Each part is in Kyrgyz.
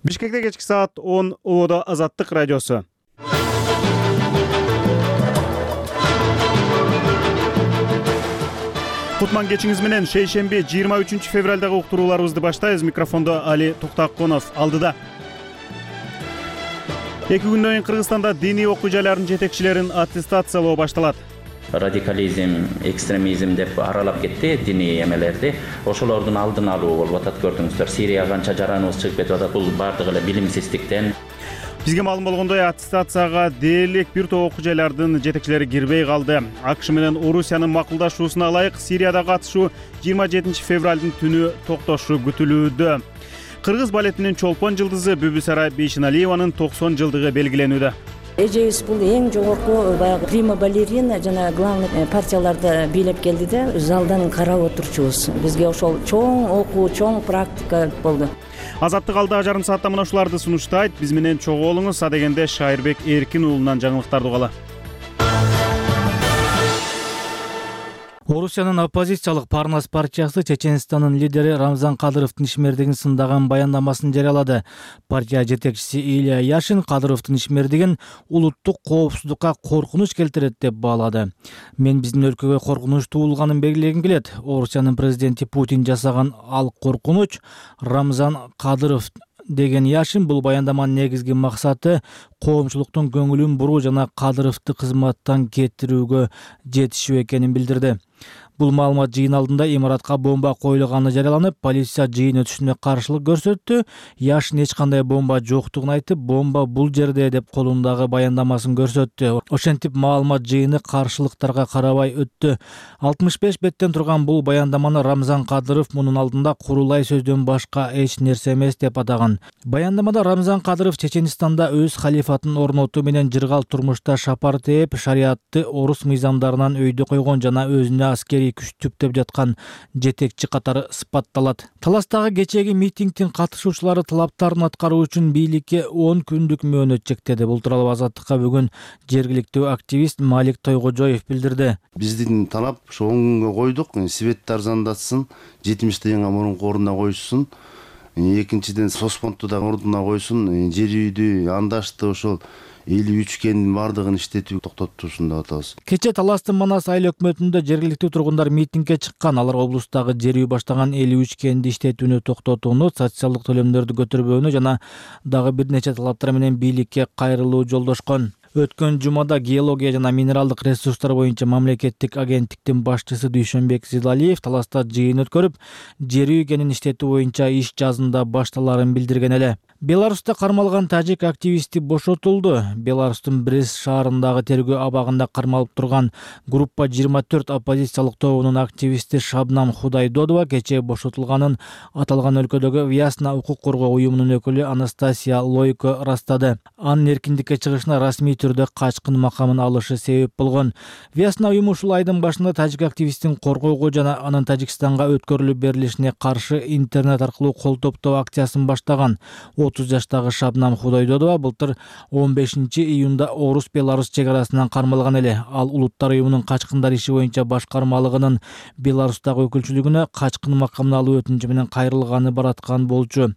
Бишкекте кечки саат 10 Ободо Азаттык радиосу. Кутман кечиңиз менен шейшемби 23 февралдагы уктурууларыбызды баштайбыз. Микрофондо Али Токтаконов алдыда. 2 күндөн кийин Кыргызстанда диний окуу жайлардын жетекчилерин аттестациялоо башталат. Радикализм, экстремизм деп аралап кетти диний эмелерди. Ошолордун алдын алуу болуп атат, көрдүңүздөр. Сирия канча жараныбыз чыгып кетип атат, бул бардыгы эле билимсиздиктен. Бизге маалым болгондой, аттестацияга дээрлик бир топ окуу жайлардын жетекчилери кирбей калды. АКШ менен Орусиянын макулдашуусуна ылайык Сирияда катышуу 27 февралдын түнү токтошу күтүлүүдө. Кыргыз балетинин чолпон жылдызы Бүбүсара Бейшеналиеванын 90 жылдыгы белгиленүүдө. Эжебиз бул эң жогорку баягы прима балерина жана главный партияларды бийлеп келди да, залдан карап отурчубуз. Бизге ошол чоң окуу, чоң практика болду. Азаттык алда жарым саатта мына ушуларды сунуштайт. Биз менен чогуу болуңуз. Адегенде Шайырбек Эркин уулунан жаңылыктарды угалы. Орусиянын оппозициялык Парнас партиясы Чеченстандын лидери Рамзан Кадыровдун ишмердигин сындаган баяндамасын жарыялады. Партия жетекчиси Илья Яшин Кадыровдун ишмердигин улуттук коопсуздукка коркунуч келтирет деп баалады. Мен биздин өлкөгө коркунуч туулганын белгилегим келет. Орусиянын президенти Путин жасаган ал коркунуч Рамзан Кадыров деген Яшин бул баяндаманын негизги максаты коомчулуктун көңүлүн буруу жана Кадыровду кызматтан кетирүүгө жетишүү экенин билдирди. Бул маалымат жыйын алдында имаратка бомба коюлганы жарыяланып, полиция жыйын өтүшүнө каршылык көрсөттү. Яшин эч кандай бомба жоктугун айтып, бомба бул жерде деп колундагы баяндамасын көрсөттү. Ошентип маалымат жыйыны каршылыктарга карабай өттү. 65 беттен турган бул баяндаманы Рамзан Кадыров мунун алдында курулай сөздөн башка эч нерсе эмес деп атаган. Баяндамада Рамзан Кадыров Чеченстанда өз халифатын орнотуу менен жыргал турмушта шапар тээп, шариатты орус мыйзамдарынан өйдө койгон жана өзүнө аскерий күч түптөп жаткан жетекчи катары сыпатталат. Таластагы кечээги митингдин катышуучулары талаптарын аткаруу үчүн бийликке 10 күндүк мөөнөт чектеди. Бул тууралуу Азаттыкка бүгүн жергиликтүү активист Малик Тойгожоев билдирди. Биздин талап ошо 10 күнгө койдук. Светти арзандатсын, 70 жылга мурунку ордуна коюшсун. Экинчиден Соспонту да ордуна койсун, жер үйдү, андашты ошол 53 кендин бардыгын иштетүү токтотушун деп атабыз. Кече Таластын Манас айыл өкмөтүндө жергиликтүү тургундар митингге чыккан. Алар облустагы жер үй баштаган 53 кенди иштетүүнү токтотууну, социалдык төлөмдөрдү көтөрбөөнү жана дагы бир нече талаптар менен бийликке кайрылуу жолдошкон. Өткөн жумада геология жана минералдык ресурстар боюнча мамлекеттик агенттиктин башчысы Дүйшөнбек Зилалиев Таласта жыйын өткөрүп, жер үй кенин иштетүү боюнча иш жазында башталарын билдирген эле. Беларуста кармалган тажик активисти бошотулду. Беларустун Брест шаарындагы тергөө абагында кармалып турган группа 24 оппозициялык тобунун активисти Шабнам Худайдодова кечээ бошотулганын аталган өлкөдөгү Вясна укук коргоо уюмунун өкүлү Анастасия Лойко ырастады. Анын эркиндикке чыгышына расмий түрдө качкын макамын алышы себеп болгон. Вясна уюму ушул айдын башында тажик активистин коргоого жана анын Тажикстанга өткөрүлүп берилишине каршы интернет аркылуу кол топтоо акциясын баштаган. 30 жаштагы Шабнам Худайдодова былтыр 15 июнда Орус-Беларус чек арасынан кармалган эле. Ал улуттар уюмунун качкындар иши боюнча башкармалыгынын Беларустагы өкүлчүлүгүнө качкын макамын алуу өтүнүчү менен кайрылганы бараткан болчу.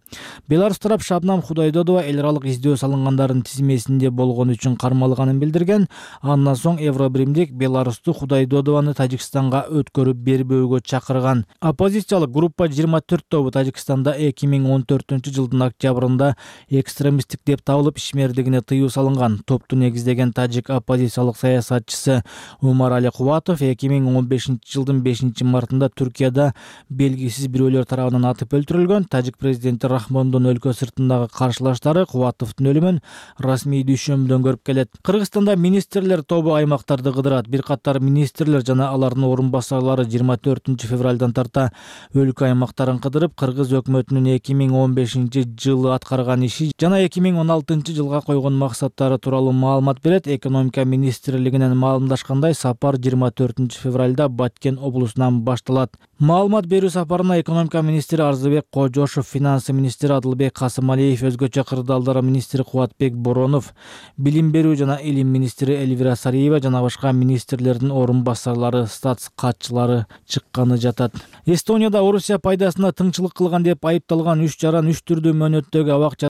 Беларус тарап Шабнам Худайдодова эл аралык издөө салынгандардын тизмесинде болгон үчүн кармалганын билдирген. Андан соң Евробиримдик Беларусту Худайдодованы Тажикстанга өткөрүп бербөөгө чакырган. Оппозициялык группа 24 тобу Тажикстанда 2014 жылдын октябрында экстремисттик деп табылып ишмердигине тыюу салынган. Топту негиздеген тажик оппозициялык саясатчысы Умар Али Кубатов 2015 жылдын 5 мартында Түркияда белгисиз бирөөлөр тарабынан атып өлтүрүлгөн. Тажик президенти Рахмондун өлкө сыртындагы каршылаштары Кубатовдун өлүмүн расмий дүйшөмбүдөн көрүп келет. Кыргызстанда министрлер тобу аймактарды кыдырат. Бир катар министрлер жана алардын орун басарлары 24 февралдан тарта өлкө аймактарын кыдырып, кыргыз өкмөтүнүн 2015 жылы аткарган иши жана 2016 жылга койгон максаттары тууралуу маалымат берет. Экономика министрлигинен маалымдашкандай, сапар 24 февралда Баткен облусунан башталат. Маалымат берүү сапарына экономика министри Арзыбек Кожошов, финансы министри Адылбек Касымалиев, өзгөчө кырдаалдар министри Кубатбек Боронов, билим берүү жана илим министри Эльвира Сариева жана башка министрлердин орун басарлары, статс катчылары чыкканы жатат. Эстонияда Орусия пайдасына тыңчылык кылган деп айыпталган 3 жаран 3 түрдүү мөөнөттөгү абак